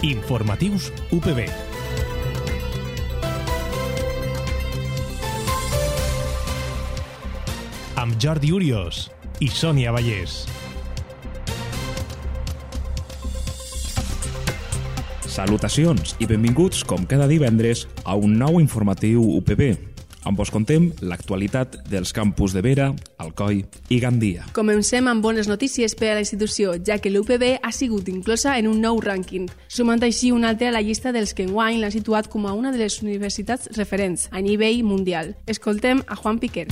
Informatius UPB. Amb Jordi Urios i Sònia Vallès. Salutacions i benvinguts, com cada divendres, a un nou informatiu UPB. On vos contem l'actualitat dels campus de Vera, Alcoi i Gandia. Comencem amb bones notícies per a la institució, ja que l'UPB ha sigut inclosa en un nou rànquing, sumant així un altre a la llista dels que enguany l'han situat com a una de les universitats referents a nivell mundial. Escoltem a Juan Piquer.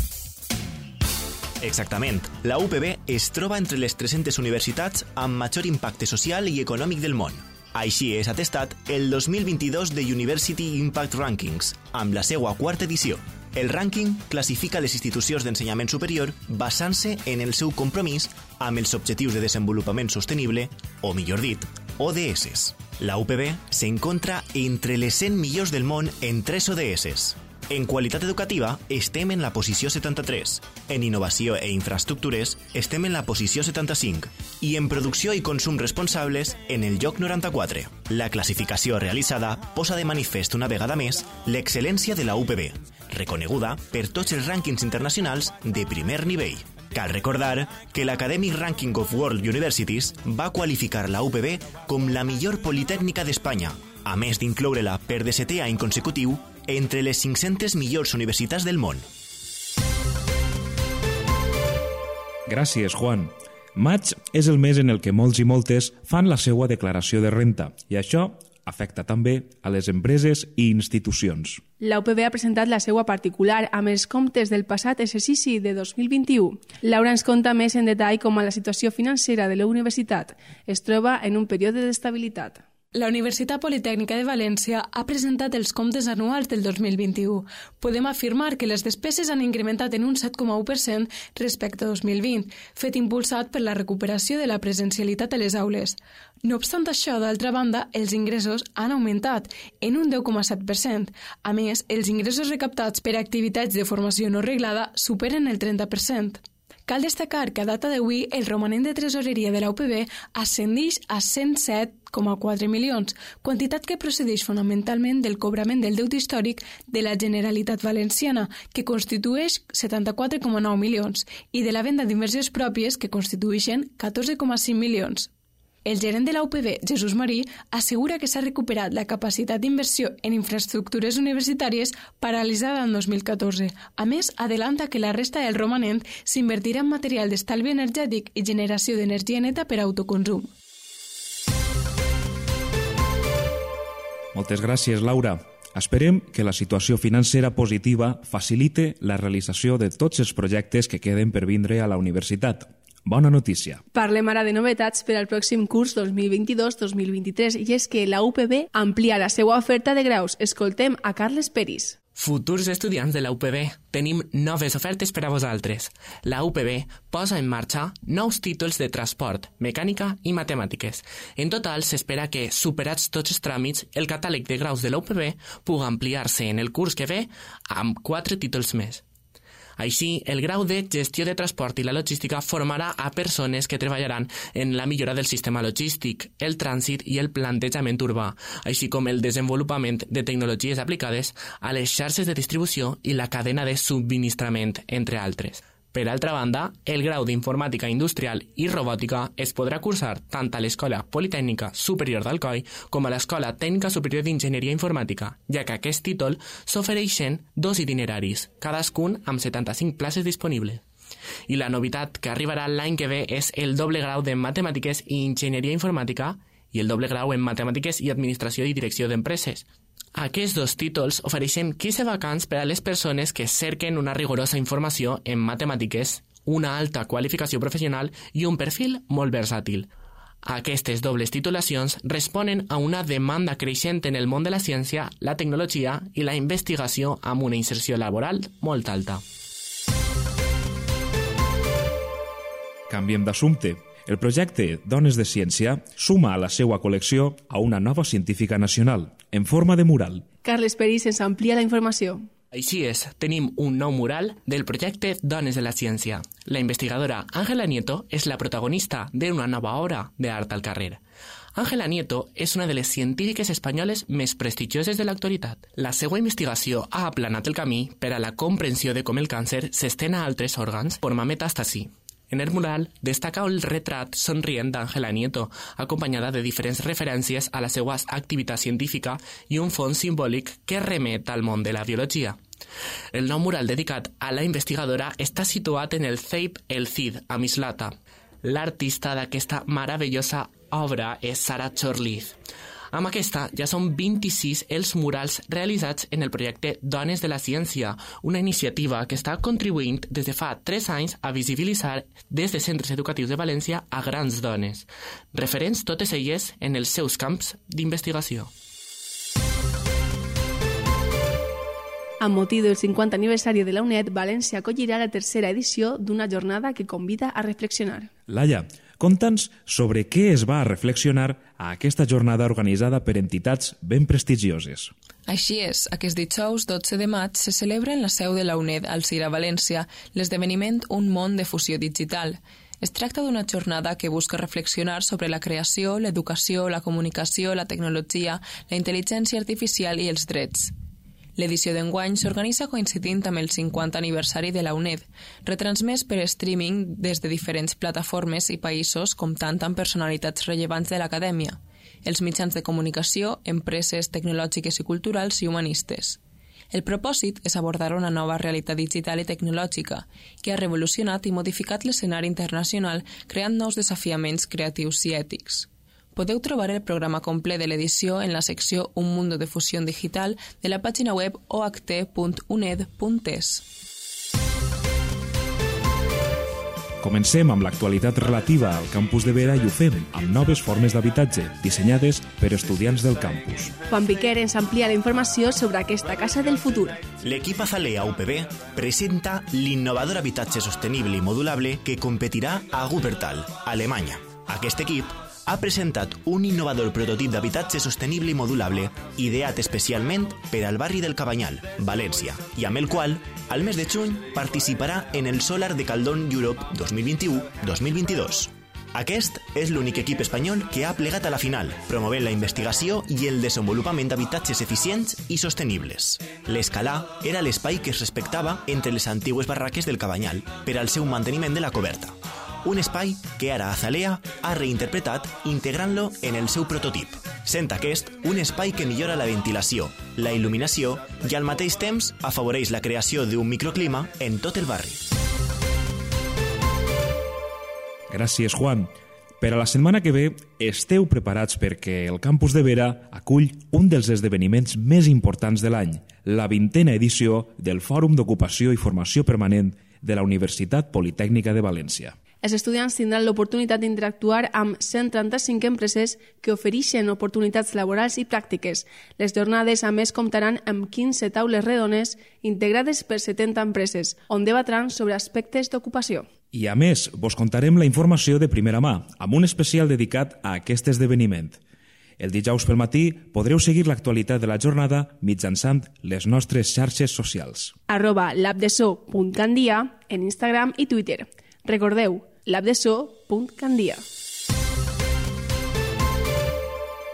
Exactament. La UPB es troba entre les 300 universitats amb major impacte social i econòmic del món. Així és atestat el 2022 de University Impact Rankings, amb la seva quarta edició. El rànquing classifica les institucions d'ensenyament superior basant-se en el seu compromís amb els Objectius de Desenvolupament Sostenible, o millor dit, ODS. La UPB s'encontra entre les 100 millors del món en 3 ODS. En qualitat educativa estem en la posició 73, en innovació e infraestructures estem en la posició 75 i en producció i consum responsables en el lloc 94. La classificació realitzada posa de manifest una vegada més l'excel·lència de la UPB, reconeguda per tots els rànquings internacionals de primer nivell. Cal recordar que l'Academic Ranking of World Universities va qualificar la UPB com la millor politècnica d'Espanya, a més d'incloure-la per 17è any consecutiu entre les 500 millors universitats del món. Gràcies, Juan. Maig és el mes en el que molts i moltes fan la seva declaració de renta i això afecta també a les empreses i institucions. La UPB ha presentat la seva particular amb els comptes del passat exercici de 2021. Laura ens conta més en detall com la situació financera de la universitat es troba en un període d'estabilitat. La Universitat Politècnica de València ha presentat els comptes anuals del 2021. Podem afirmar que les despeses han incrementat en un 7,1% respecte a 2020, fet impulsat per la recuperació de la presencialitat a les aules. No obstant això, d'altra banda, els ingressos han augmentat en un 10,7%. A més, els ingressos recaptats per activitats de formació no reglada superen el 30%. Cal destacar que a data d'avui el romanent de tresoreria de la UPB ascendeix a 107,4 milions, quantitat que procedeix fonamentalment del cobrament del deute històric de la Generalitat Valenciana, que constitueix 74,9 milions, i de la venda d'inversions pròpies, que constitueixen 14,5 milions. El gerent de la UPB, Jesús Marí, assegura que s'ha recuperat la capacitat d'inversió en infraestructures universitàries paralitzada en 2014. A més, adelanta que la resta del romanent s'invertirà en material d'estalvi energètic i generació d'energia neta per a autoconsum. Moltes gràcies, Laura. Esperem que la situació financera positiva facilite la realització de tots els projectes que queden per vindre a la universitat. Bona notícia. Parlem ara de novetats per al pròxim curs 2022-2023 i és que la UPB amplia la seva oferta de graus. Escoltem a Carles Peris. Futurs estudiants de la UPB, tenim noves ofertes per a vosaltres. La UPB posa en marxa nous títols de transport, mecànica i matemàtiques. En total, s'espera que, superats tots els tràmits, el catàleg de graus de la UPB pugui ampliar-se en el curs que ve amb 4 títols més. Així, el grau de gestió de transport i la logística formarà a persones que treballaran en la millora del sistema logístic, el trànsit i el plantejament urbà, així com el desenvolupament de tecnologies aplicades a les xarxes de distribució i la cadena de subministrament, entre altres. Per altra banda, el grau d'Informàtica Industrial i Robòtica es podrà cursar tant a l'Escola Politècnica Superior d'Alcoi com a l'Escola Tècnica Superior d'Enginyeria Informàtica, ja que a aquest títol s'ofereixen 2 itineraris, cadascun amb 75 places disponibles. I la novetat que arribarà l'any que ve és el doble grau de Matemàtiques i Enginyeria Informàtica i el doble grau en Matemàtiques i Administració i Direcció d'Empreses. Aquests 2 títols ofereixen 15 vacants per a les persones que cerquen una rigorosa informació en matemàtiques, una alta qualificació professional i un perfil molt versàtil. Aquestes dobles titulacions responen a una demanda creixent en el món de la ciència, la tecnologia i la investigació amb una inserció laboral molt alta. Canviem d'assumpte. El projecte Dones de Ciència suma a la seva col·lecció a una nova científica nacional, en forma de mural. Carles Peris ens amplia la informació. Així és, tenim un nou mural del projecte Dones de la Ciència. La investigadora Ángela Nieto és la protagonista d'una nova obra d'art al carrer. Ángela Nieto és una de les científiques espanyoles més prestigioses de l'actualitat. La seva investigació ha aplanat el camí per a la comprensió de com el càncer s'estén a altres òrgans de forma metàstasi. En el mural destaca el retrat somrient d'Ángela Nieto, acompanyada de diferents referències a la seva activitat científica i un fons simbòlic que remet al món de la biologia. El nou mural dedicat a la investigadora està situat en el CEIP El Cid, a Mislata. L'artista d'aquesta meravellosa obra és Sara Chorliz. Amb aquesta ja són 26 els murals realitzats en el projecte Dones de la Ciència, una iniciativa que està contribuint des de fa 3 anys a visibilitzar des de centres educatius de València a grans dones, referents totes elles en els seus camps d'investigació. Amb motiu del 50 aniversari de la UNED, València acollirà la tercera edició d'una jornada que convida a reflexionar. Laia, conta'ns sobre què es va reflexionar a aquesta jornada organitzada per entitats ben prestigioses. Així és, aquest dijous 12 de maig se celebra en la seu de la UNED al CIRA València l'esdeveniment Un món de fusió digital. Es tracta d'una jornada que busca reflexionar sobre la creació, l'educació, la comunicació, la tecnologia, la intel·ligència artificial i els drets. L'edició d'enguany s'organitza coincidint amb el 50 aniversari de la UNED, retransmès per streaming des de diferents plataformes i països comptant amb personalitats rellevants de l'acadèmia, els mitjans de comunicació, empreses tecnològiques i culturals i humanistes. El propòsit és abordar una nova realitat digital i tecnològica que ha revolucionat i modificat l'escenari internacional creant nous desafiaments creatius i ètics. Podeu trobar el programa complet de l'edició en la secció Un mundo de fusión digital de la pàgina web oht.uned.es. Comencem amb l'actualitat relativa al campus de Vera i ho fem amb noves formes d'habitatge dissenyades per estudiants del campus. Juan Piquer ens amplia la informació sobre aquesta casa del futur. L'equip Azalea UPB presenta l'innovador habitatge sostenible i modulable que competirà a Wuppertal, Alemanya. Aquest equip ha presentat un innovador prototip d'habitatge sostenible i modulable ideat especialment per al barri del Cabanyal, València, i amb el qual, al mes de juny, participarà en el Solar de Caldón Europe 2021-2022. Aquest és l'únic equip espanyol que ha plegat a la final, promovent la investigació i el desenvolupament d'habitatges eficients i sostenibles. L'Escalà era l'espai que es respectava entre les antigues barraques del Cabanyal per al seu manteniment de la coberta. Un espai que ara Azalea ha reinterpretat integrant-lo en el seu prototip, sent aquest un espai que millora la ventilació, la il·luminació i al mateix temps afavoreix la creació d'un microclima en tot el barri. Gràcies, Juan. Per a la setmana que ve, esteu preparats perquè el campus de Vera acull un dels esdeveniments més importants de l'any, la 20a edició del Fòrum d'Ocupació i Formació Permanent de la Universitat Politècnica de València. Els estudiants tindran l'oportunitat d'interactuar amb 135 empreses que ofereixen oportunitats laborals i pràctiques. Les jornades, a més, comptaran amb 15 taules redones integrades per 70 empreses, on debatran sobre aspectes d'ocupació. I a més, vos contarem la informació de primera mà, amb un especial dedicat a aquest esdeveniment. El dijous pel matí podreu seguir l'actualitat de la jornada mitjançant les nostres xarxes socials. @labdeso.candia en Instagram i Twitter. Recordeu, labdeso.candia.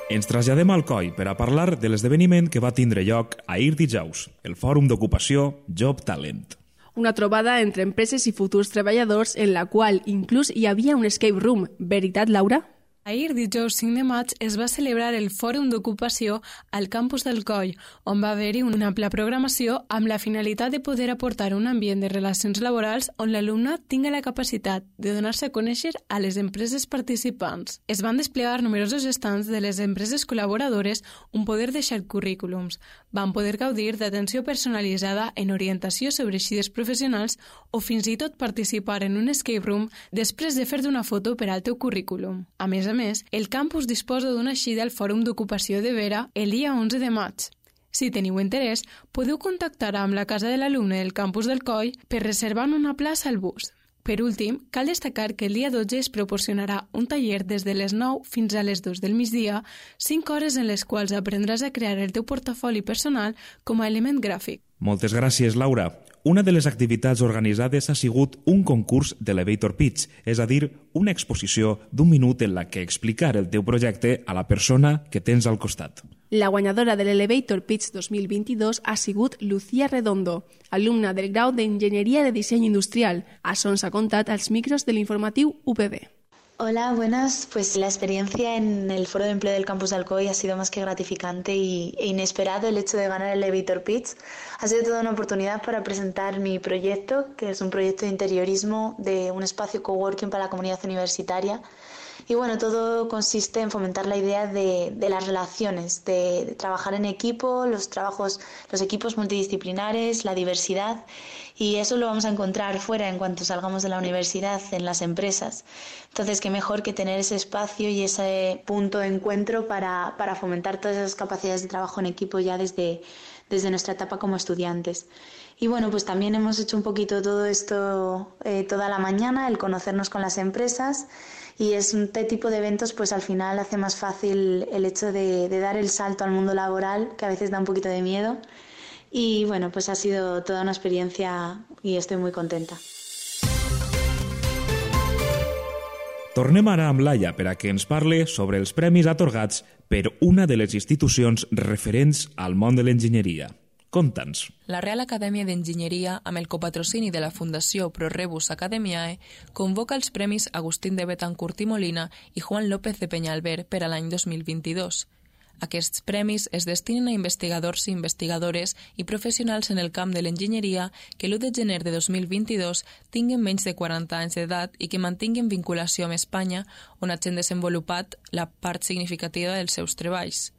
Ens traslladem al Coi per a parlar de l'esdeveniment que va tindre lloc ahir dijous, el Fòrum d'Ocupació Job Talent. Una trobada entre empreses i futurs treballadors en la qual inclús hi havia un escape room. Veritat, Laura? Ahir, dijous 5 de maig, es va celebrar el Fòrum d'Ocupació al campus del Coi, on va haver-hi una ampla programació amb la finalitat de poder aportar un ambient de relacions laborals on l'alumnat tingui la capacitat de donar-se a conèixer a les empreses participants. Es van desplegar numerosos estants de les empreses col·laboradores on poder deixar currículums. Van poder gaudir d'atenció personalitzada en orientació sobre eixides professionals o fins i tot participar en un escape room després de fer-te una foto per al teu currículum. A més, el campus disposa d'una eixida al Fòrum d'Ocupació de Vera el dia 11 de maig. Si teniu interès, podeu contactar amb la casa de l'alumne del campus del Coi per reservar una plaça al bus. Per últim, cal destacar que el dia 12 es proporcionarà un taller des de les 9 fins a les 2 del migdia, 5 hores en les quals aprendràs a crear el teu portafoli personal com a element gràfic. Moltes gràcies, Laura. Una de les activitats organitzades ha sigut un concurs d'Elevator Pitch, és a dir, una exposició d'un minut en la que explicar el teu projecte a la persona que tens al costat. La guanyadora de l'Elevator Pitch 2022 ha sigut Lucía Redondo, alumna del grau d'Enginyeria de Disseny Industrial. Això ens ha contat als micros de l'informatiu UPB. Hola, buenas. Pues la experiencia en el Foro de Empleo del Campus de Alcoy ha sido más que gratificante e inesperado. El hecho de ganar el Elevator Pitch ha sido toda una oportunidad para presentar mi proyecto, que es un proyecto de interiorismo de un espacio coworking para la comunidad universitaria. Y bueno, todo consiste en fomentar la idea de las relaciones, de trabajar en equipo, los equipos multidisciplinares, la diversidad, y eso lo vamos a encontrar fuera en cuanto salgamos de la universidad, en las empresas. Entonces, qué mejor que tener ese espacio y ese punto de encuentro para fomentar todas esas capacidades de trabajo en equipo ya desde nuestra etapa como estudiantes. Y bueno, pues también hemos hecho un poquito todo esto toda la mañana, el conocernos con las empresas, y este tipo de eventos pues al final hace más fácil el hecho de dar el salto al mundo laboral, que a veces da un poquito de miedo. Y bueno, pues ha sido toda una experiencia y estoy muy contenta. Tornem ara amb Laia per a que ens parle sobre els premis atorgats per una de les institucions referents al món de l'enginyeria. Conta'ns. La Real Acadèmia d'Enginyeria, amb el copatrocini de la Fundació Pro Rebus Academiae, convoca els premis Agustín de Betancourt i Molina i Juan López de Peñalver per a l'any 2022. Aquests premis es destinen a investigadors i investigadores i professionals en el camp de l'enginyeria que l'1 de gener de 2022 tinguen menys de 40 anys d'edat i que mantinguin vinculació amb Espanya, on hagin desenvolupat la part significativa dels seus treballs.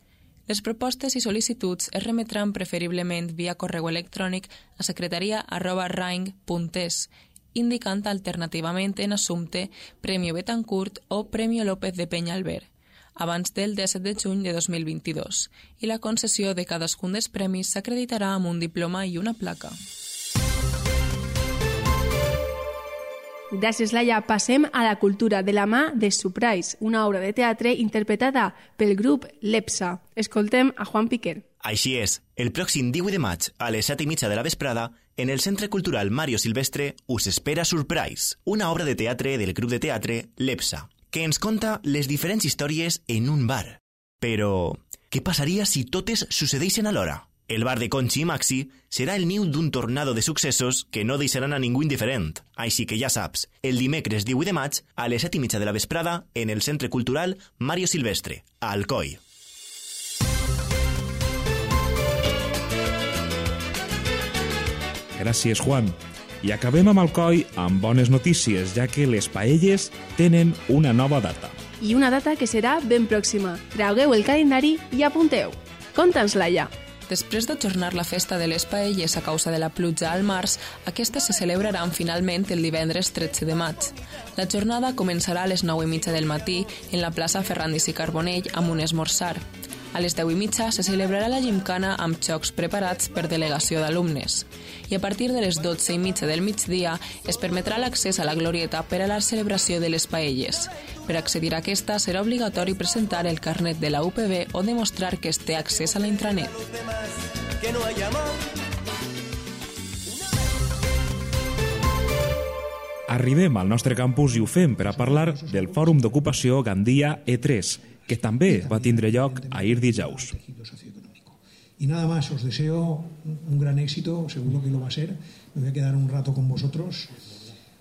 Les propostes i sol·licituds es remetran preferiblement via correu electrònic a secretaria@raing.es, indicant alternativament en assumpte Premio Betancourt o Premio López de Peñalver, abans del 17 de juny de 2022, i la concessió de cadascun dels premis s'acreditarà amb un diploma i una placa. Gràcies, Laia. Passem a la cultura de la mà de Surprise, una obra de teatre interpretada pel grup Lepsa. Escoltem a Juan Piquer. Així és, el pròxim 18 de maig, a les 7:30 de la vesprada, en el Centre Cultural Mario Silvestre us espera Surprise, una obra de teatre del grup de teatre Lepsa, que ens conta les diferents històries en un bar. Però, què passaria si totes succeeixen alhora? El bar de Conchi i Maxi serà el niu d'un tornado de successos que no deixaran a ningú indiferent. Així que ja saps, el dimecres 18 de maig, a les 7:30 de la vesprada, en el Centre Cultural Mario Silvestre, a Alcoi. Gràcies, Juan. I acabem amb Alcoi amb bones notícies, ja que les paelles tenen una nova data. I una data que serà ben pròxima. Traugueu el calendari i apunteu. Conta'ns, Laia. Després d'ajornar la festa de les paelles a causa de la pluja al març, aquestes se celebraran finalment el divendres 13 de maig. La jornada començarà a les 9:30 del matí en la plaça Ferrandis i Carbonell amb un esmorzar. A les 10:30 se celebrarà la gimcana amb jocs preparats per delegació d'alumnes. I a partir de les 12:30 del migdia es permetrà l'accés a la glorieta per a la celebració de les paelles. Per accedir a aquesta serà obligatori presentar el carnet de la UPB o demostrar que es té accés a la intranet. Arribem al nostre campus i ho fem per a parlar del Fòrum d'Ocupació Gandia E3, que també va tindre lloc ahir dijous. Y nada más, os deseo un gran éxito, seguro que lo va a ser. Me voy a quedar un rato con vosotros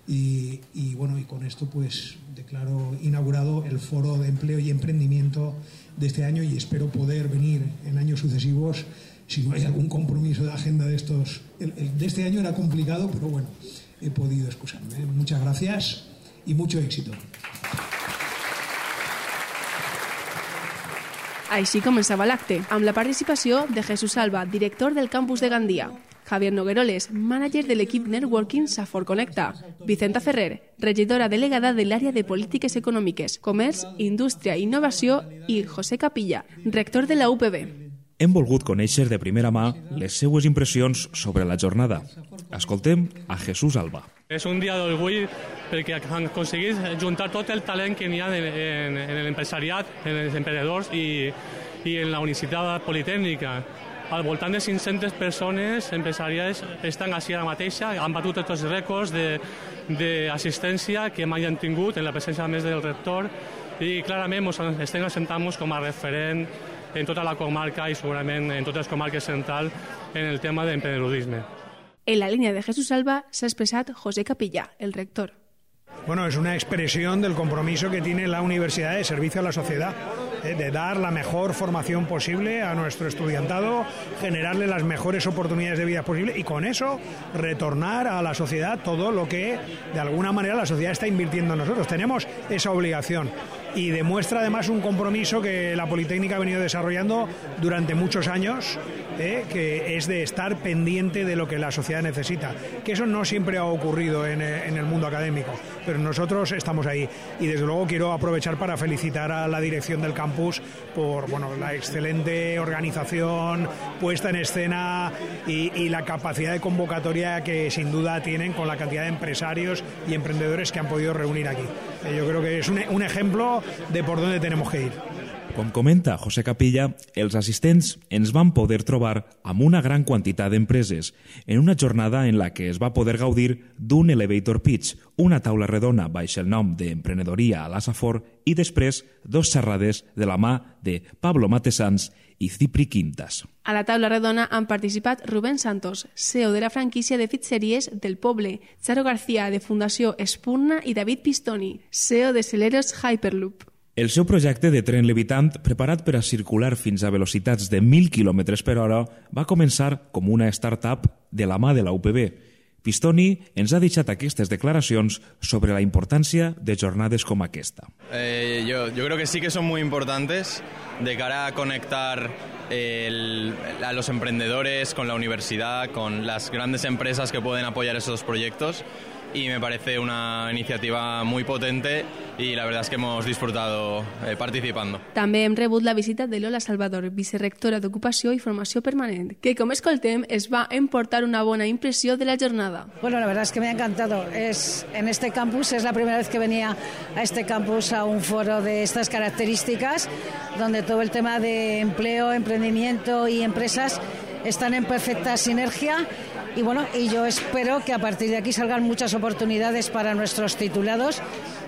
y bueno, y con esto pues declaro inaugurado el Foro de Empleo y Emprendimiento de este año y espero poder venir en años sucesivos si no hay algún compromiso de agenda de estos. El de este año era complicado, pero bueno, he podido excusarme. Muchas gracias y mucho éxito. Així començava l'acte, amb la participació de Jesús Alba, director del campus de Gandia, Javier Nogueroles, mànager de l'equip Networking Safor Connecta, Vicenta Ferrer, regidora delegada de l'àrea de Polítiques Econòmiques, Comerç, Indústria i Innovació, i José Capilla, rector de la UPB. Hem volgut conèixer de primera mà les seues impressions sobre la jornada. Escoltem a Jesús Alba. És un dia d'orgull perquè han aconseguit juntar tot el talent que n'hi ha en l'empresariat, en els emprenedors i en la Universitat Politècnica. Al voltant de 500 persones empresarials estan així ara mateixa, han batut tots els rècords d'assistència que mai han tingut en la presència a més del rector i clarament ens estem assentant com a referent en tota la comarca i segurament en totes les comarques centrals en el tema d'emprenedeurisme. En la línea de Jesús Alba se ha expresado José Capilla, el rector. Bueno, es una expresión del compromiso que tiene la universidad de servicio a la sociedad, de dar la mejor formación posible a nuestro estudiantado, generarle las mejores oportunidades de vida posible y con eso retornar a la sociedad todo lo que de alguna manera la sociedad está invirtiendo en nosotros. Tenemos esa obligación y demuestra además un compromiso que la Politécnica ha venido desarrollando durante muchos años, que es de estar pendiente de lo que la sociedad necesita, que eso no siempre ha ocurrido en el mundo académico, pero nosotros estamos ahí y desde luego quiero aprovechar para felicitar a la dirección del campus por la excelente organización, puesta en escena y la capacidad de convocatoria que sin duda tienen con la cantidad de empresarios y emprendedores que han podido reunir aquí. Yo creo que es un ejemplo de por dónde tenemos que ir. Com comenta José Capilla, els assistents ens van poder trobar amb una gran quantitat d'empreses en una jornada en la que es va poder gaudir d'un elevator pitch, una taula redona baix el nom d'Emprenedoria a la Safor i després 2 xerrades de la mà de Pablo Matesans i Cipri Quintas. A la taula redona han participat Rubén Santos, CEO de la franquícia de pizzeries del Poble, Charo García, de Fundació Espurna i David Pistoni, CEO de Celeros Hyperloop. El seu projecte de tren levitant, preparat per a circular fins a velocitats de 1.000 km per hora, va començar com una startup de la mà de la UPB. Pistoni ens ha deixat aquestes declaracions sobre la importància de jornades com aquesta. Yo creo que sí que son muy importantes de cara a conectar a los emprendedores con la universidad, con las grandes empresas que pueden apoyar esos proyectos. Y me parece una iniciativa muy potente y la verdad es que hemos disfrutado participando. També hem rebut la visita de Lola Salvador, vicerectora d'Ocupació i Formació Permanent, que, com escoltem, es va emportar una bona impressió de la jornada. Bueno, la verdad es que me ha encantado. En este campus es la primera vez que venía a este campus a un foro de estas características, donde todo el tema de empleo, emprendimiento y empresas están en perfecta sinergia. Y bueno, y yo espero que a partir de aquí salgan muchas oportunidades para nuestros titulados.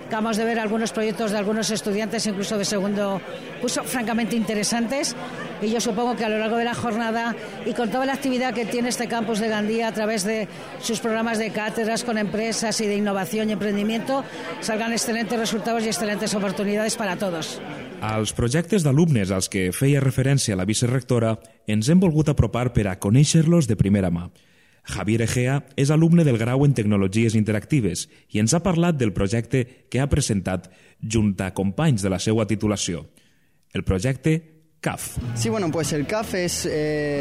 Acabamos de ver algunos proyectos de algunos estudiantes, incluso de segundo curso, francamente interesantes. Y yo supongo que a lo largo de la jornada y con toda la actividad que tiene este campus de Gandía a través de sus programas de cátedras con empresas y de innovación y emprendimiento, salgan excelentes resultados y excelentes oportunidades para todos. Als projectes d'alumnes als que feia referència la vicerectora ens hem volgut apropar per a conèixer-los de primera mà. Javier Egea és alumne del grau en Tecnologies Interactives i ens ha parlat del projecte que ha presentat junt a companys de la seva titulació. El projecte CAF. Sí, bueno, pues el CAF es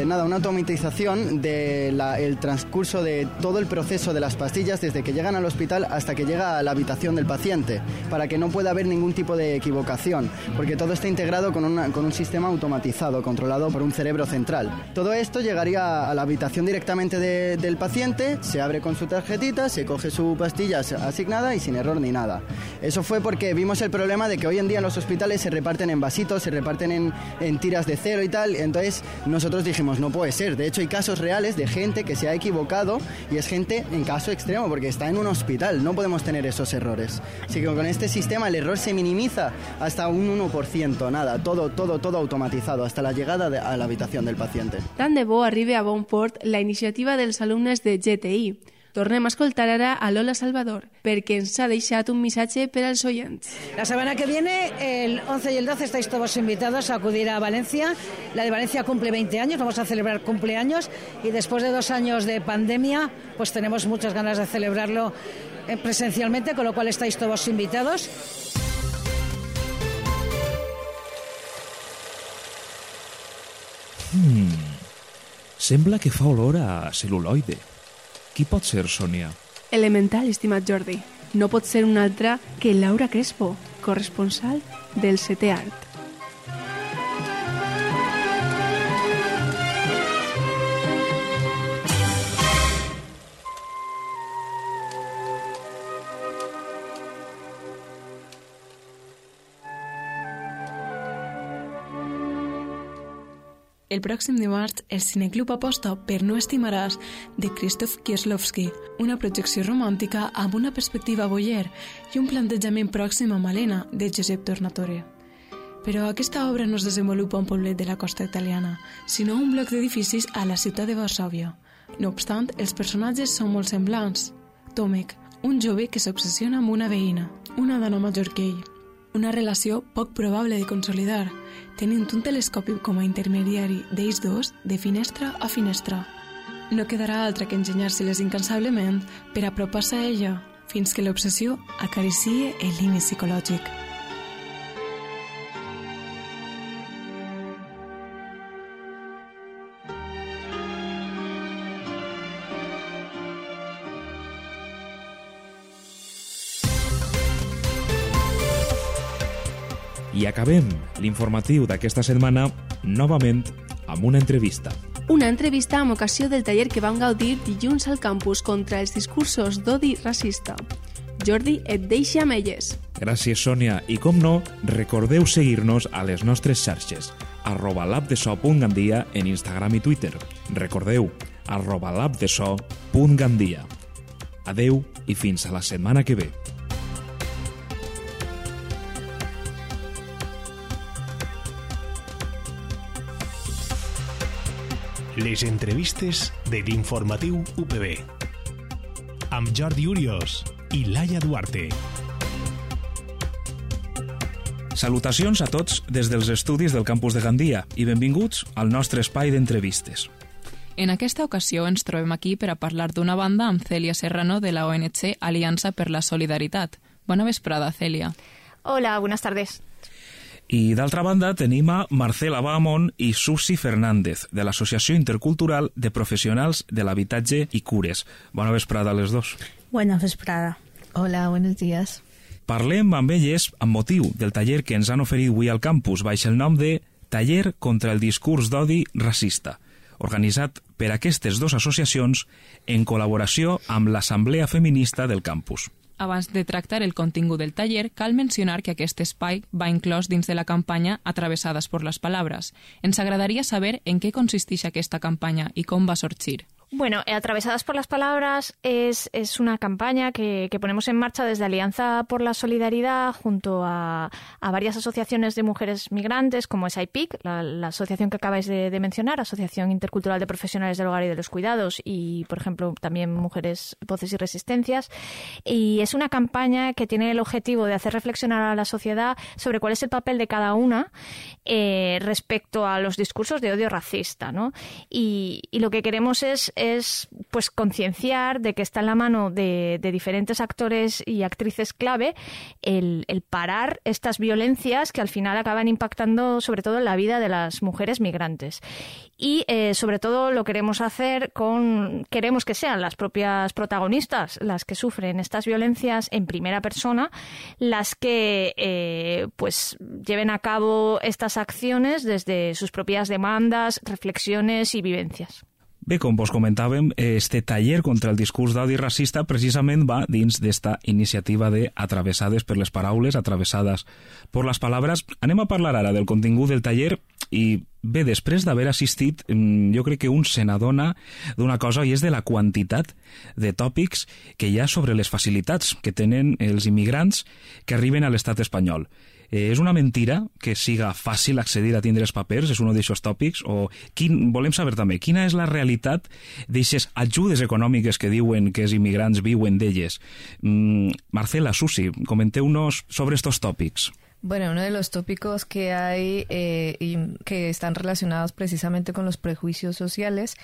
una automatización del transcurso de todo el proceso de las pastillas desde que llegan al hospital hasta que llega a la habitación del paciente, para que no pueda haber ningún tipo de equivocación, porque todo está integrado con un sistema automatizado, controlado por un cerebro central. Todo esto llegaría a la habitación directamente del paciente, se abre con su tarjetita, se coge su pastilla asignada y sin error ni nada. Eso fue porque vimos el problema de que hoy en día en los hospitales se reparten en vasitos, se reparten en tiras de cero y tal, entonces nosotros dijimos, no puede ser. De hecho hay casos reales de gente que se ha equivocado y es gente en caso extremo porque está en un hospital, no podemos tener esos errores. Así que con este sistema el error se minimiza hasta un 1%, nada, todo automatizado hasta la llegada a la habitación del paciente. Tant de bo arribi a bon port la iniciativa dels alumnes de GTI. Tornem a escoltar ara a Lola Salvador, perquè ens ha deixat un missatge per als oients. La semana que viene, el 11 y el 12, estáis todos invitados a acudir a Valencia. La de Valencia cumple 20 años, vamos a celebrar cumpleaños y después de 2 años de pandemia, pues tenemos muchas ganas de celebrarlo presencialmente, con lo cual estáis todos invitados. Sembla que fa olor a cel·luloide. Qui pot ser, Sònia? Elemental, estimat Jordi. No pot ser una altra que Laura Crespo, corresponsal del 7è Art. El pròxim dimarts, el Cineclub aposta per No estimaràs, de Krzysztof Kieslowski, una projecció romàntica amb una perspectiva voyeur i un plantejament pròxim a Malena, de Josep Tornatore. Però aquesta obra no es desenvolupa a un poblet de la costa italiana, sinó un bloc d'edificis a la ciutat de Varsòvia. No obstant, els personatges són molt semblants. Tomek, un jove que s'obsessiona amb una veïna, una dona major que ell. Una relació poc probable de consolidar, tenint un telescopi com a intermediari d'ells dos de finestra a finestra. No quedarà altra que enginyar-se-les incansablement per apropar-se a ella, fins que l'obsessió acaricie el límit psicològic. I acabem l'informatiu d'aquesta setmana novament amb una entrevista. Una entrevista amb ocasió del taller que vam gaudir dilluns al campus contra els discursos d'odi racista. Jordi et deixa amb elles. Gràcies, Sònia. I com no, recordeu seguir-nos a les nostres xarxes. @labdeso.gandia en Instagram i Twitter. Recordeu, @labdeso.gandia. Adeu i fins a la setmana que ve. Les entrevistes de l'informatiu UPB amb Jordi Urios i Laia Duarte. Salutacions a tots des dels estudis del campus de Gandia i benvinguts al nostre espai d'entrevistes. En aquesta ocasió ens trobem aquí per a parlar d'una banda amb Cèlia Serrano de la ONG Aliança per la Solidaritat. Bona vesprada, Cèlia. Hola, buenas tardes. I d'altra banda tenim a Marcela Bahamón i Susi Fernández, de l'Associació Intercultural de Professionals de l'Habitatge i Cures. Bona vesprada a les dos. Buena vesprada. Hola, buenos días. Parlem amb elles amb motiu del taller que ens han oferit avui al campus, baix el nom de Taller contra el discurs d'odi racista, organitzat per aquestes dues associacions en col·laboració amb l'Assemblea Feminista del campus. Abans de tractar el contingut del taller, cal mencionar que aquest espai va inclòs dins de la campanya Atravessades por las Palabras. Ens agradaria saber en què consisteix aquesta campanya i com va sorgir. Bueno, Atravesadas por las Palabras es una campaña que ponemos en marcha desde Alianza por la Solidaridad junto a varias asociaciones de mujeres migrantes, como es AIPIC, la asociación que acabáis de mencionar, Asociación Intercultural de Profesionales del Hogar y de los Cuidados, y, por ejemplo, también Mujeres, Voces y Resistencias. Y es una campaña que tiene el objetivo de hacer reflexionar a la sociedad sobre cuál es el papel de cada una respecto a los discursos de odio racista, ¿no? Y lo que queremos es pues concienciar de que está en la mano de diferentes actores y actrices clave el parar estas violencias que al final acaban impactando sobre todo en la vida de las mujeres migrantes. Y sobre todo lo queremos hacer queremos que sean las propias protagonistas las que sufren estas violencias en primera persona, las que pues lleven a cabo estas acciones desde sus propias demandas, reflexiones y vivencias. Bé, com vos comentàvem, este taller contra el discurs d'odi racista precisament va dins d'esta iniciativa de Atravessades per les Paraules, Atravessades por las Palabras. Anem a parlar ara del contingut del taller i bé, després d'haver assistit, jo crec que un se n'adona d'una cosa i és de la quantitat de tòpics que hi ha sobre les facilitats que tenen els immigrants que arriben a l'estat espanyol. És una mentira que siga fàcil accedir a tindre els papers, és un d'aixòs tòpics, o volem saber també quina és la realitat d'aixes ajudes econòmiques que diuen que els immigrants viuen d'elles. Marcela, Susi, comenteu-nos sobre estos tòpics. Bueno, uno de los tópicos que hay y que están relacionados precisamente con los prejuicios sociales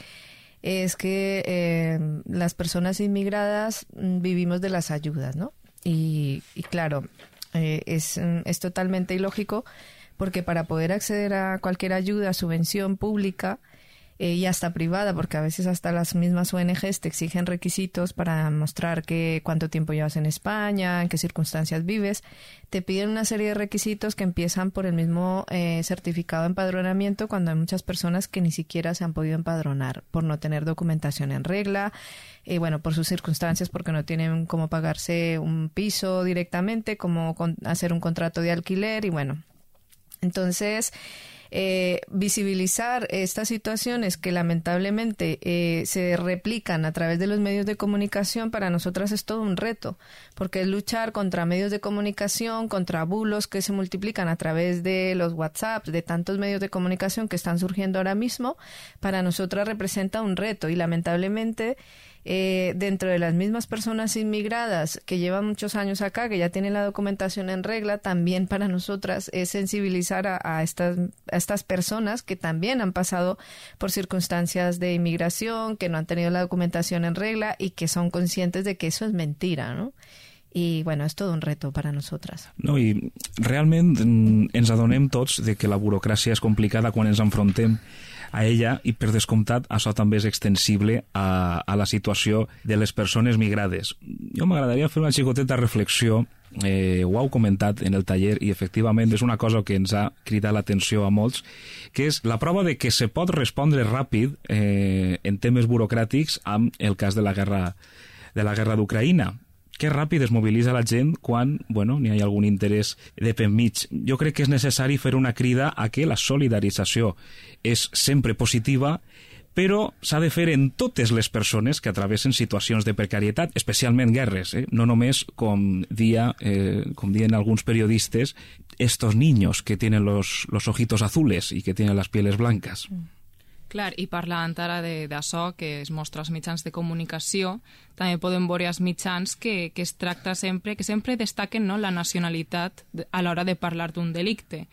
es que las personas inmigradas vivimos de las ayudas, ¿no? Y claro, es totalmente ilógico porque para poder acceder a cualquier ayuda, subvención pública y hasta privada, porque a veces hasta las mismas ONGs te exigen requisitos para mostrar cuánto tiempo llevas en España, en qué circunstancias vives, te piden una serie de requisitos que empiezan por el mismo certificado de empadronamiento cuando hay muchas personas que ni siquiera se han podido empadronar por no tener documentación en regla, bueno, por sus circunstancias, porque no tienen cómo pagarse un piso directamente, cómo hacer un contrato de alquiler y bueno. Entonces, visibilizar estas situaciones que lamentablemente se replican a través de los medios de comunicación, para nosotras es todo un reto, porque es luchar contra medios de comunicación, contra bulos que se multiplican a través de los WhatsApp, de tantos medios de comunicación que están surgiendo ahora mismo. Para nosotras representa un reto y lamentablemente dentro de las mismas personas inmigradas que llevan muchos años acá, que ya tienen la documentación en regla, también para nosotras es sensibilizar a estas personas que también han pasado por circunstancias de inmigración, que no han tenido la documentación en regla y que son conscientes de que eso es mentira, ¿no? I, bueno, és tot un reto per a nosaltres. No, i realment ens adonem tots de que la burocràcia és complicada quan ens enfrontem a ella i, per descomptat, això també és extensible a la situació de les persones migrades. Jo m'agradaria fer una xicoteta reflexió, ho heu comentat en el taller i efectivament és una cosa que ens ha cridat l'atenció a molts, que és la prova de que se pot respondre ràpid en temes burocràtics amb el cas de la guerra d'Ucraïna. Que ràpid es mobilitza la gent quan n'hi ha algun interès de per mig. Jo crec que és necessari fer una crida a que la solidarització és sempre positiva, però s'ha de fer en totes les persones que travessen situacions de precarietat, especialment guerres, no només, com diuen alguns periodistes, estos niños que tienen los ojitos azules y que tienen las pieles blancas. Clar, i parlant ara d'això, que es mostra als mitjans de comunicació, també podem veure als mitjans que es tracta sempre, que sempre destaquen, no, la nacionalitat a l'hora de parlar d'un delicte,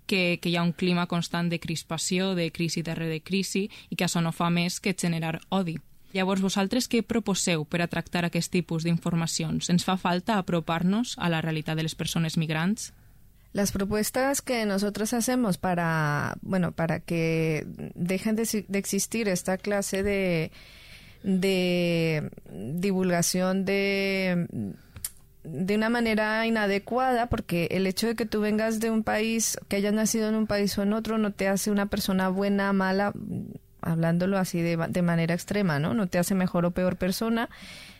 que hi ha un clima constant de crispació, de crisi darrere crisi, i que això no fa més que generar odi. Llavors, vosaltres què proposeu per a tractar aquest tipus d'informacions? Ens fa falta apropar-nos a la realitat de les persones migrants? Las propuestas que nosotros hacemos para que dejen de existir esta clase de divulgación de una manera inadecuada, porque el hecho de que tú vengas de un país, que hayas nacido en un país o en otro, no te hace una persona buena, mala, hablándolo así de manera extrema, ¿no? No te hace mejor o peor persona.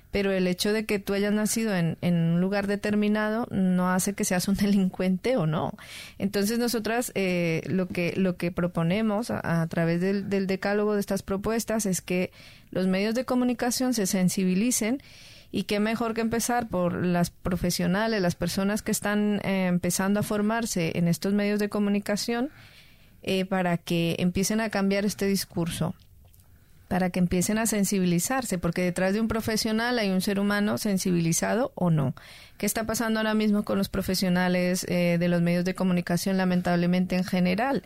Pero el hecho de que tú hayas nacido en un lugar determinado no hace que seas un delincuente o no. Entonces nosotras lo que proponemos a través del decálogo de estas propuestas es que los medios de comunicación se sensibilicen, y qué mejor que empezar por las profesionales, las personas que están empezando a formarse en estos medios de comunicación, para que empiecen a cambiar este discurso, para que empiecen a sensibilizarse, porque detrás de un profesional hay un ser humano sensibilizado o no. ¿Qué está pasando ahora mismo con los profesionales de los medios de comunicación, lamentablemente en general?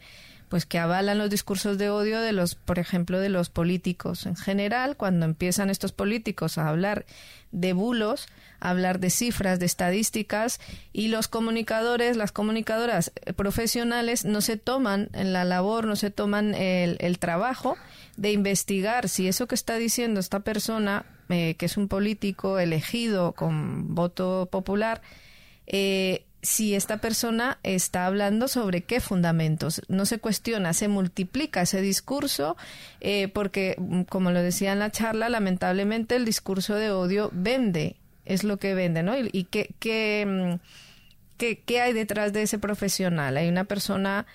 Pues que avalan los discursos de odio por ejemplo, de los políticos. En general, cuando empiezan estos políticos a hablar de bulos, a hablar de cifras, de estadísticas, y los comunicadores, las comunicadoras profesionales no se toman la labor, no se toman el trabajo de investigar si eso que está diciendo esta persona, que es un político elegido con voto popular, si esta persona está hablando sobre qué fundamentos. No se cuestiona, se multiplica ese discurso, porque, como lo decía en la charla, lamentablemente el discurso de odio vende, es lo que vende, ¿no? ¿Y qué hay detrás de ese profesional? ¿Hay una persona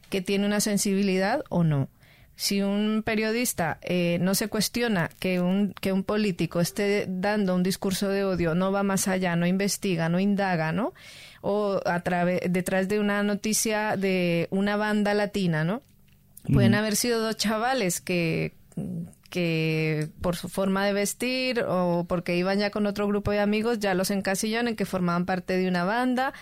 que tiene una sensibilidad o no? Si un periodista no se cuestiona que un político esté dando un discurso de odio, no va más allá, no investiga, no indaga, ¿no? O detrás de una noticia de una banda latina, ¿no? Pueden haber sido dos chavales que por su forma de vestir o porque iban ya con otro grupo de amigos ya los encasillaron en que formaban parte de una banda,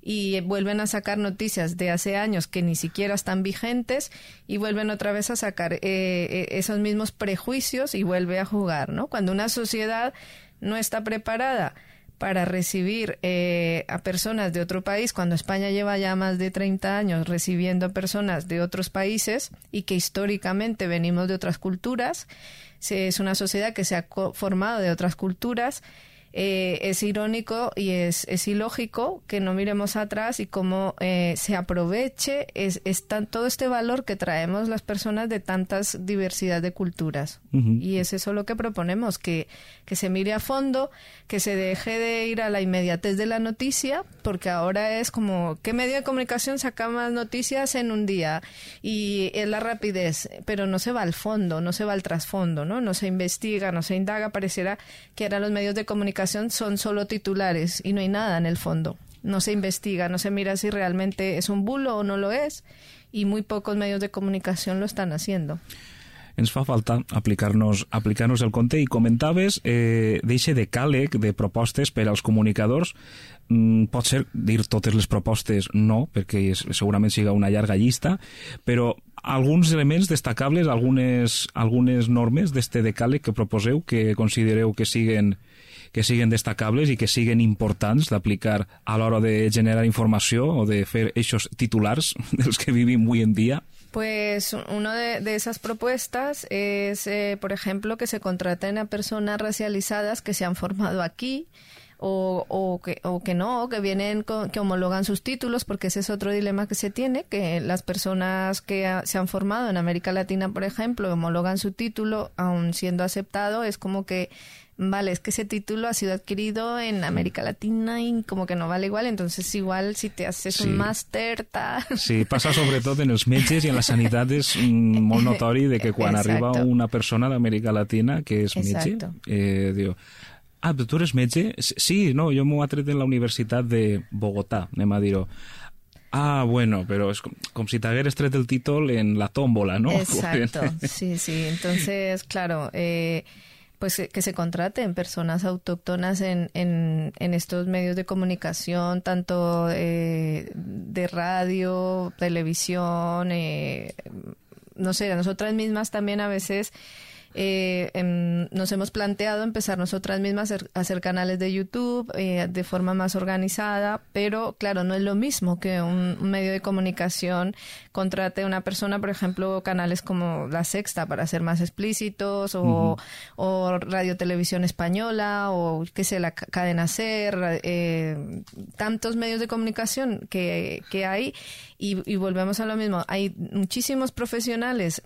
y vuelven a sacar noticias de hace años que ni siquiera están vigentes, y vuelven otra vez a sacar esos mismos prejuicios y vuelve a jugar, ¿no? Cuando una sociedad no está preparada para recibir a personas de otro país, cuando España lleva ya más de 30 años recibiendo personas de otros países y que históricamente venimos de otras culturas, es una sociedad que se ha formado de otras culturas, es irónico y es ilógico que no miremos atrás y cómo se aproveche todo este valor que traemos las personas de tantas diversidad de culturas. Y es eso lo que proponemos, que se mire a fondo, que se deje de ir a la inmediatez de la noticia, porque ahora es como, ¿qué medio de comunicación saca más noticias en un día? Y es la rapidez, pero no se va al fondo, no se va al trasfondo, ¿no? No se investiga, no se indaga, pareciera que ahora los medios de comunicación son solo titulares y no hay nada en el fondo. No se investiga, no se mira si realmente es un bulo o no lo es, y muy pocos medios de comunicación lo están haciendo. Ens fa falta aplicar-nos el compte, i comentaves d'eixe decàleg de propostes per als comunicadors. Pot ser dir totes les propostes no, perquè segurament siga una llarga llista, però alguns elements destacables, algunes normes d'este decàleg que proposeu, que considereu que siguen destacables i que siguen importants d'aplicar a l'hora de generar informació o de fer eixos titulars dels que vivim avui en dia? Pues una de esas propuestas es, por ejemplo, que se contraten a personas racializadas que se han formado aquí o que vienen, que homologan sus títulos, porque ese es otro dilema que se tiene, que las personas que se han formado en América Latina, por ejemplo, homologan su título, aun siendo aceptado, es como que vale, es que ese título ha sido adquirido en América Latina y como que no vale igual, entonces igual si te haces un màster... Sí, passa sobretot en els metges i en la sanitat, és molt notori de que quan arriba una persona d'Amèrica Latina que és metge, diu, però tu eres metge? Sí, no, jo m'ho he tret en la Universitat de Bogotà, anem a dir-ho. Bueno, pero es como si te hubieras tret el títol en la tómbola, ¿no? Exacto, sí, entonces, claro... pues que se contraten personas autóctonas en estos medios de comunicación, tanto de radio, televisión, no sé, nosotras mismas también a veces nos hemos planteado empezar nosotras mismas a hacer canales de YouTube de forma más organizada, pero claro, no es lo mismo que un medio de comunicación contrate a una persona, por ejemplo, canales como La Sexta para ser más explícitos, o Radio Televisión Española, o qué sé, la Cadena SER, tantos medios de comunicación que hay, y volvemos a lo mismo, hay muchísimos profesionales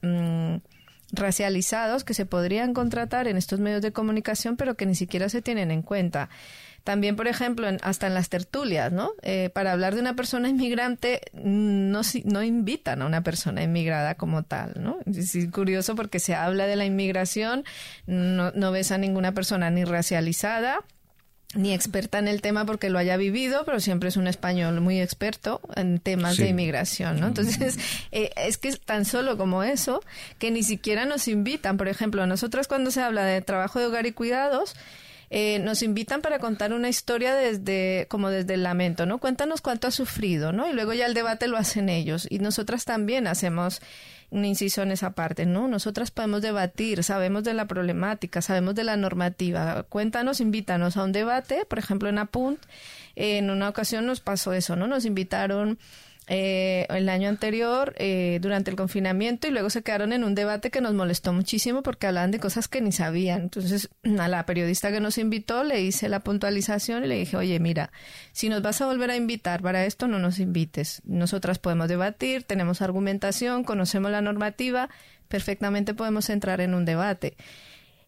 racializados que se podrían contratar en estos medios de comunicación, pero que ni siquiera se tienen en cuenta. También, por ejemplo, hasta en las tertulias, ¿no? Para hablar de una persona inmigrante no invitan a una persona inmigrada como tal, ¿no? Es curioso porque se habla de la inmigración, no ves a ninguna persona ni racializada, ni experta en el tema porque lo haya vivido, pero siempre es un español muy experto en temas de inmigración, ¿no? Entonces, es que es tan solo como eso, que ni siquiera nos invitan. Por ejemplo, nosotras cuando se habla de trabajo de hogar y cuidados, nos invitan para contar una historia desde el lamento, ¿no? Cuéntanos cuánto has sufrido, ¿no? Y luego ya el debate lo hacen ellos. Y nosotras también hacemos un inciso en esa parte, ¿no? Nosotras podemos debatir, sabemos de la problemática, sabemos de la normativa. Cuéntanos, invítanos a un debate. Por ejemplo, en Apunt, en una ocasión nos pasó eso, ¿no? Nos invitaron el año anterior durante el confinamiento y luego se quedaron en un debate que nos molestó muchísimo porque hablaban de cosas que ni sabían. Entonces a la periodista que nos invitó le hice la puntualización y le dije, oye, mira, si nos vas a volver a invitar para esto, no nos invites. Nosotras podemos debatir, tenemos argumentación, conocemos la normativa, perfectamente podemos entrar en un debate.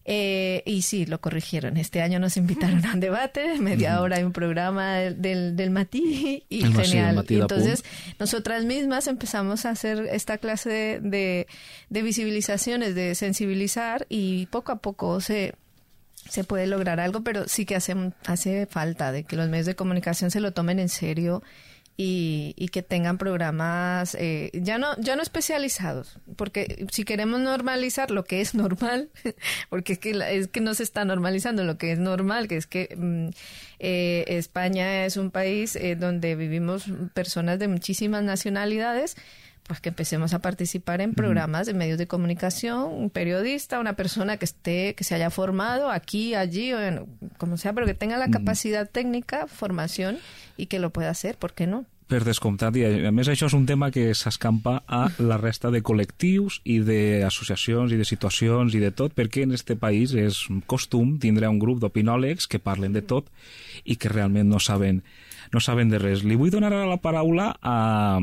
Y sí, lo corrigieron. Este año nos invitaron a un debate, media hora de un programa del Matí, y genial. Y entonces nosotras mismas empezamos a hacer esta clase de visibilizaciones, de sensibilizar, y poco a poco se puede lograr algo, pero sí que hace falta de que los medios de comunicación se lo tomen en serio y que tengan programas ya no especializados, porque si queremos normalizar lo que es normal, porque es que no se está normalizando lo que es normal, que es que España es un país donde vivimos personas de muchísimas nacionalidades, pues que empecemos a participar en programas de medios de comunicación, un periodista, una persona que se haya formado aquí, allí, o como sea, pero que tenga la capacidad técnica, formación, y que lo pueda hacer, ¿por qué no? Per descomptat, i a més això és un tema que s'escampa a la resta de col·lectius i d'associacions i de situacions i de tot, perquè en este país és costum tindre un grup d'opinòlegs que parlen de tot i que realment no saben de res. Li vull donar ara la paraula a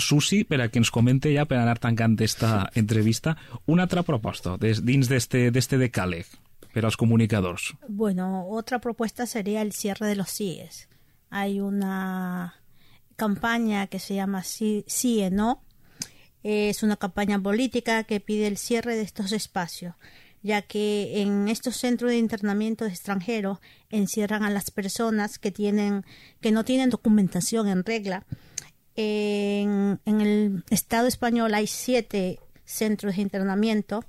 Susi per a que ens comente ja, per anar tancant esta entrevista, una altra proposta dins d'este decàleg per als comunicadors. Bueno, otra propuesta sería el cierre de los CIEs. Hay una campaña que se llama Sí No. Es una campaña política que pide el cierre de estos espacios, ya que en estos centros de internamiento de extranjeros encierran a las personas que no tienen documentación en regla. En el Estado español hay 7 centros de internamiento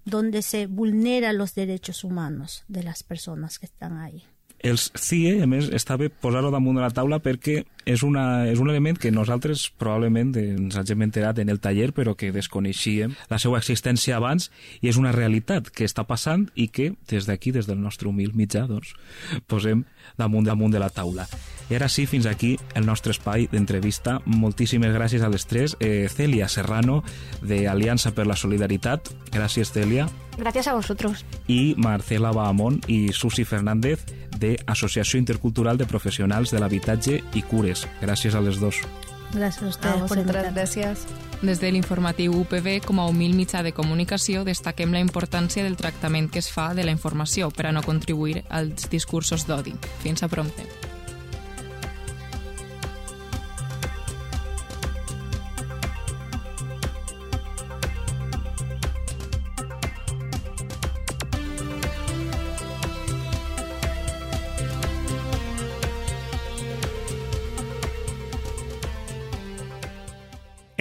donde se vulneran los derechos humanos de las personas que están ahí. Els CIE, a més, està bé posar-ho damunt de la taula perquè és un element que nosaltres probablement ens hàgim enterat en el taller, però que desconeixíem la seva existència abans, i és una realitat que està passant i que des d'aquí, des del nostre humil mitjà, doncs, posem damunt de la taula. I ara sí, fins aquí el nostre espai d'entrevista. Moltíssimes gràcies a les tres. Celia Serrano, de Aliança per la Solidaritat. Gràcies, Celia. Gracias a vosotros. Y Marcela Bahamón y Susi Fernández, de Asociació Intercultural de Professionals de l'Habitatge i Cures. Gràcies a les dos. Gracias a ustedes por invitarme. Gracias. Des de l'informatiu UPB, com a humil mitjà de comunicació, destaquem la importància del tractament que es fa de la informació per a no contribuir als discursos d'odi. Fins a prompte.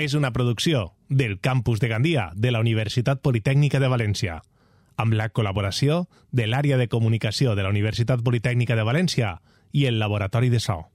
És una producció del Campus de Gandia de la Universitat Politècnica de València, amb la col·laboració de l'Àrea de Comunicació de la Universitat Politècnica de València i el Laboratori de So.